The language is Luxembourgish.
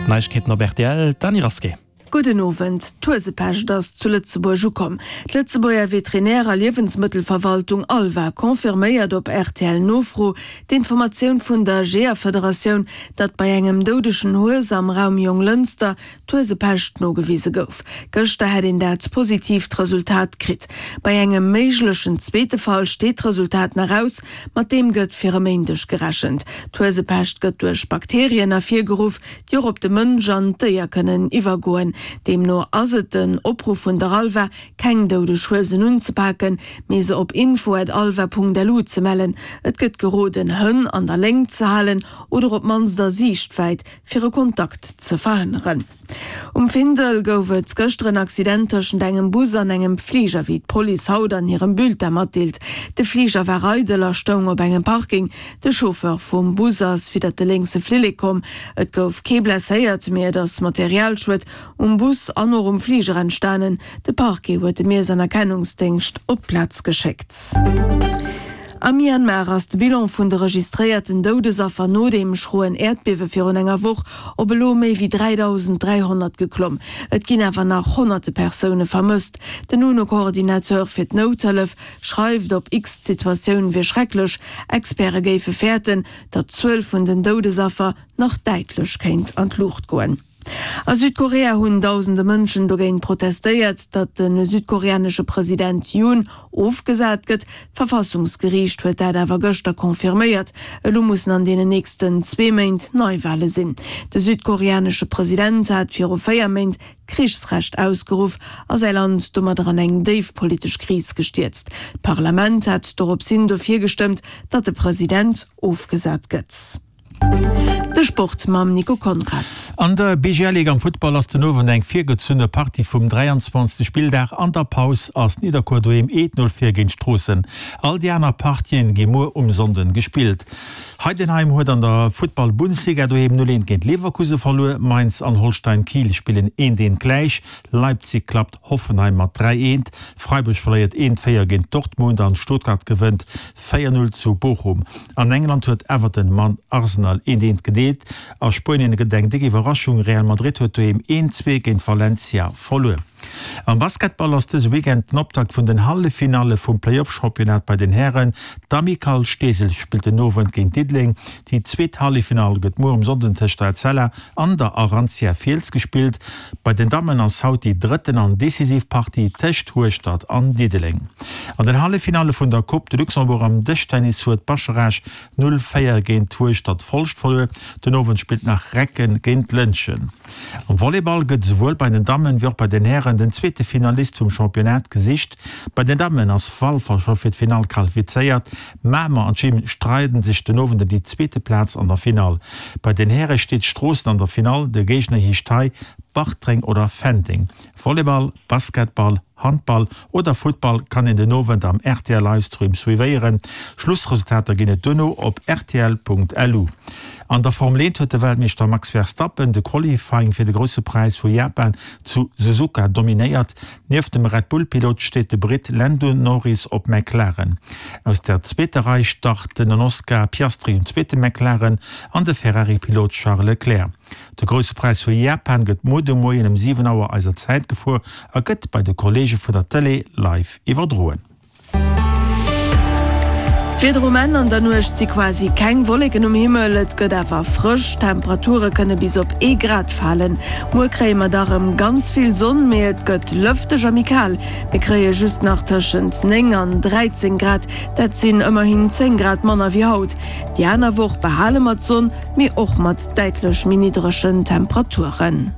D'Neiegkeeten op rtl, d'Dany Rasqué. Gudden Owend. D'Huesepescht ass zu Lëtzebuerg ukomm. D'Lëtzebuerger Veterinär a Liewensmëttelverwaltung ALVA confirméiert op RTL-Nofro d'Informatioun vun der Jeeërfederatioun, datt bei engem doudegen Hues am Raum Jonglënster d'Huesepescht nogewise gouf. Gëschter hätt een dat positiivt Resultat kritt. Bei engem méiglechen zweete Fall steet d'Resultat nach aus, mat deem gëtt fir e Méindeg gerechent. D'Huesepescht gëtt duerch Bakterien ervirgeruff, déi och op de Mënsch an d'Déier kënnen iwwergoen. Deemno ass et den Opruff vun der ALVA, keng doudeg Huesen unzepaken, mee se op info@alva.lu ze mellen. Et gëtt geroden, Hënn an der Léngt ze halen oder op d'mannst a Siichtwäit, fir e Kontakt ze verhënneren. Um Findel gouf et gëschter en Accident tëschent engem Bus an engem Fliger, wéi d'Police haut an hirem Bulletin matdeelt. De Fliger war eidel a stoung op engem Parking. De Chauffeur vum Bus ass widdert de lénkse Flillek komm. Et gouf kee blesséiert, mee et ass Materialschued um Bus an och um Fliger entstanen. De Parquet huet de Miess an Erkennungsdéngscht op d'Plaz geschéckt. Am Myanmar ass de Bilan vun de registréierten Doudesaffer no deem schroen Äerdbiewe virun enger Woch op elo méi wéi 3.300 geklomm. Et ginn awer nach honnerte Persoune vermësst. Den UNO-Coordinateur fir d'Nouthëllef schreift op X, d'Situatioun wier schrecklech. Experte géife fäerten, datt d'Zuel vun den Doudesaffer nach däitlech kéint an d'Luucht goen. A Südkorea hunn dausende Mënschen dogéint protestéiert, datt de südkoreanesche President Yoon ofgesat gëtt. D'Verfassungsgeriicht huet dat awer gëschter confirméiert. Elo mussen an deenen nächsten zwee Méint Neiwale sinn. De südkoreanesche President hat viru 4 Méint d'Krichsrecht ausgeruff a säi Land domadder an eng déif politesch Kris gestierzt. D'Parlament hat dorops hin dofir gestëmmt, datt de President ofgesat gëtt. De Sport mam Nico Conrad. An der BGL Ligue am Futtball ass den Owend eng virgezunne Partie vum 23. Spilldag. An der Paus ass Nidderkuer doheem 1, 0 vir géint Stroossen. All déi aner Partien gi muer um Sonnden gespillt. Heidenheim huet an der Futtball Bundesliga doheem 0, 1 géint Leverkusen verluer. Mainz an Holstein Kiel spillen 1, 1 gläich. Leipzig klappt Hoffenheim mat 3, 1. Freiburg verléiert 1, 4 géint Dortmund an Stuttgart gewënnt 4, 0 zu Bochum. An England huet Everton mat Arsenal 1, 1 gedeelt. A Spuenien gëtt et eng déck Iwwerraschung, Real Madrid huet doheem 1, 2 géint Valencia verluer. Am Basketball ass dëse Weekend den Optakt vun den Halleffinalle vum Playoff-Championnat bei den Hären. D'Amicale Steesel spillt den Owend géint Diddeleng. Déi zweet Halleffinall gëtt muer um Sonnden tëscht der Etzella an der Arantia Fiels gespillt. Bei den Dammen ass haut déi drëtten an decisiv Partie tëscht Hueschtert an Diddeleng. An den Halleffinalle vun der Coupe de Luxembourg am Dëschtennis huet Bascharage 0, 4 géint Hueschtert Folscht verluer. Den Owend spillt nach Recken géint Lëntgen. Am Volleyball gëtt esouwuel bei den Dammen wéi och bei den Hären den zweete Finalist vum Championnat gesicht. Bei den Dammen ass Walfer scho fir d'Finall qualifizéiert. Mamer an Gym streiden sech den Owend ëm déi zweete Plaz an der Finall. Bei den Häre steet Stroossen an der Finall, de Géigner heescht hei Bartreng oder Fenteng. Volleyball, Basketball, Handball oder Futtball kann een den Owend am rtl Livestream suivéieren. Schlussresultater ginn et duerno op rtl.lu. An der Formel 1 huet de Weltmeeschter Max Verstappen de Qualifying fir de Grousse Präis vu Japan zu Suzuka dominéiert. Nieft dem Red Bull-Pilot steet de Britt Lando Norris op McLaren. Aus der zweeter Rei starten den Oscar Piastri um zweete McLaren an de Ferrari-Pilot Charles Leclerc. De Grousse Präis vu Japan gëtt muer de Moien ëm 7 Auer eiser Zäit gefuer a gëtt bei de Kolleege vun der Tëlee live iwwerdroen. D'Wieder um Enn an der Nuecht si quasi keng Wolleken um Himmel, et gëtt awer frësch, d'Temperature kënne bis op ee Grad falen. Muer kréie mer da rëm ganz vill Sonn, mee et gëtt lëfteg a méi kal. Mir kréie just nach tëschent 9 an 13 Grad, dat sinn ëmmerhin 10 Grad manner wéi haut. Déi aner Woch behale mer d'Sonn, mee och mat däitlech méi niddregen Temperaturen.